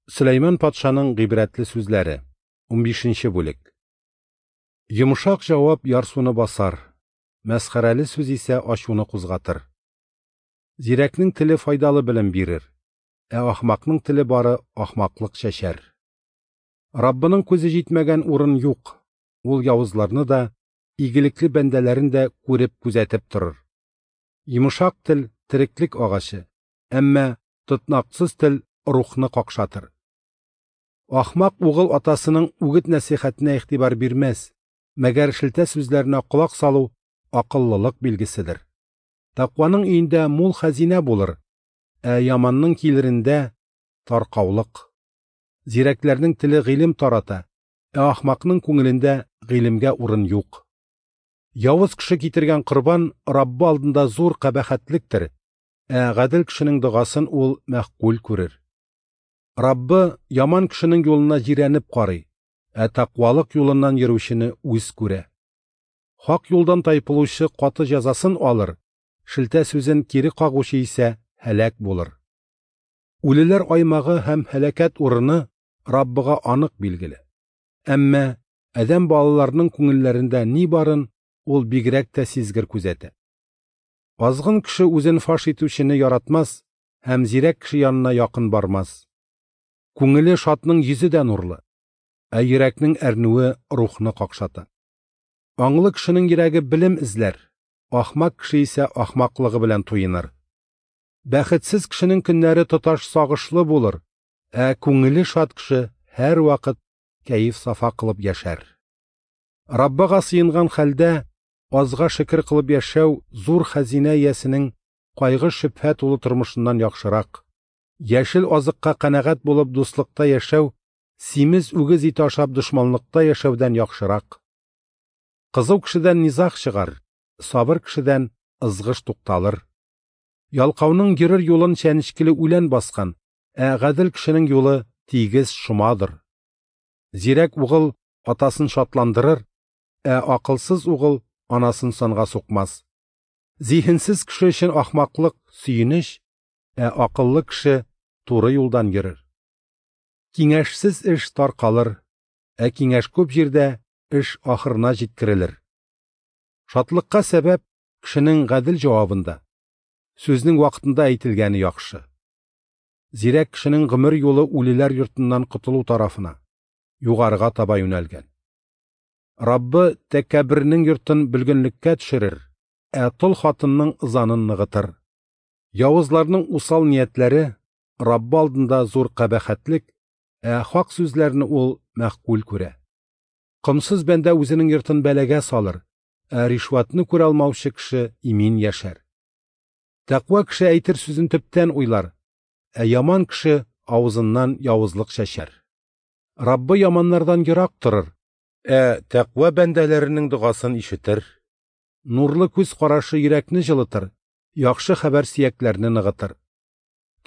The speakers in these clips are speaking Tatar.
Сөләйман патшаның гыйбрәтле сүзләре. 15 бүлек. Йомшак җавап ярсуны басар, мәсхәрәле сүз исә ачуны кузгатыр. Зирәкнең теле файдалы белем бирер, ә ахмакның теле бары ахмаклык чәчәр. Раббының күзе җитмәгән урын юк, ул явызларны да, игелекле бәндәләрен дә күреп күзәтеп торыр. Йомшак тел тереклек агачы, әмма тотнаксыз тел рухны какшатыр. Ахмак угыл атасының үгет-нәсихәтенә игътибар бирмәс, мәгәр шелтә сүзләренә колак салу акыллылык билгеседер. Тәкъваның өендә мул хәзинә булыр, ә яманның килерендә таркаулык. Зирәкләрнең теле гыйлем тарата, ә ахмакның күңелендә гыйлемгә урын юк. Явыз кеше китергән корбан Раббы алдында зур кабахәтлектер, ә гадел кешенең догасын ул мәгъкуль күрер. Раббы яман кешенең юлына җирәнеп карый, ә тәкъвалык юлыннан йөрүчене үз күрә. Хак юлдан тайпылучы каты җәзасын алыр, шелтә сүзен кире кагучы исә һәлак булыр. Үлеләр аймагы һәм һәлакәт урыны Раббыга анык билгеле. Әмма адәм балаларының күңелләрендә ни барын ул бигрәк тә сизгер күзәтә. Азгын кеше үзен фаш итүчене яратмас һәм зирәк кеше янына якын бармас. Күңеле шатның йөзе дә нурлы, ә йөрәкнең әрнүе рухны какшата. Аңлы кешенең йөрәге белем эзләр, ахмак кеше исә ахмаклыгы белән туеныр. Бәхетсез кешенең көннәре тоташ сагышлы булыр, ә күңеле шат кеше һәрвакыт кәеф-сафа кылып яшәр. Раббыга сыенган хәлдә азга шөкер кылып яшәү зур хәзинә иясенең кайгы-шөбһә тулы тормышыннан яхшырак. Яшел азыкка канәгать булып дуслыкта яшәү, симез үгез ите ашап дошманлыкта яшәүдән яхшырак. Кызу кешедән низаг чыгар, сабыр кешедән ызгыш тукталыр. Ялкауның йөрер юлын чәнечкеле үлән баскан, ә гадел кешенең юлы тигез шомадыр. Зирәк угыл атасын шатландырыр, ә акылсыз угыл анасын санга сукмас. Зиһенсез кеше өчен ахмаклык сөенеч, ә акыллы кеше туры юлдан йөрер. Киңәшсез эш таркалыр, ә киңәш күп җирдә эш ахырына җиткерелер. Шатлыкка сәбәп кешенең гадел җавабында, сүзнең вакытында әйтелгәне яхшы. Зирәк кешенең гомер юлы үлеләр йортыннан котылу тарафына, югарыга таба юнәлгән. Раббы тәкәббернең йортын бөлгенлеккә төшерер, ә тол хатынның ызанын ныгытыр. Явызларның усал ниятләре Раббы алдында зур кабахәтлек, ә хак сүзләрне ул мәгъкуль күрә. Комсыз бәндә үзенең йортын бәлагә салыр, ә ришвәтне күрә алмаучы кеше имин яшәр. Тәкъва кеше әйтер сүзен төптән уйлар, ә яман кеше авызыннан явызлык чәчәр. Раббы яманнардан ерак торыр, ә тәкъва бәндәләренең догасын ишетер. Нурлы күз карашы йөрәкне җылытыр, яхшы хәбәр сөякләрне ныгытыр.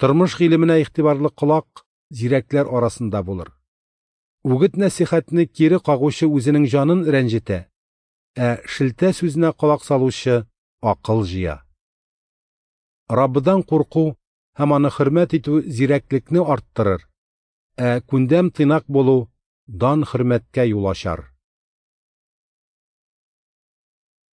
Тормыш гыйлеменә игътибарлы колак зирәкләр арасында булыр. Үгет-нәсихәтне кире кагучы үзенең җанын рәнҗетә, ә шелтә сүзенә колак салучы акыл җыя. Раббыдан курку һәм аны хөрмәт итү зирәклекне арттырыр, ә күндәм тыйнак булу дан хөрмәткә юл ачар.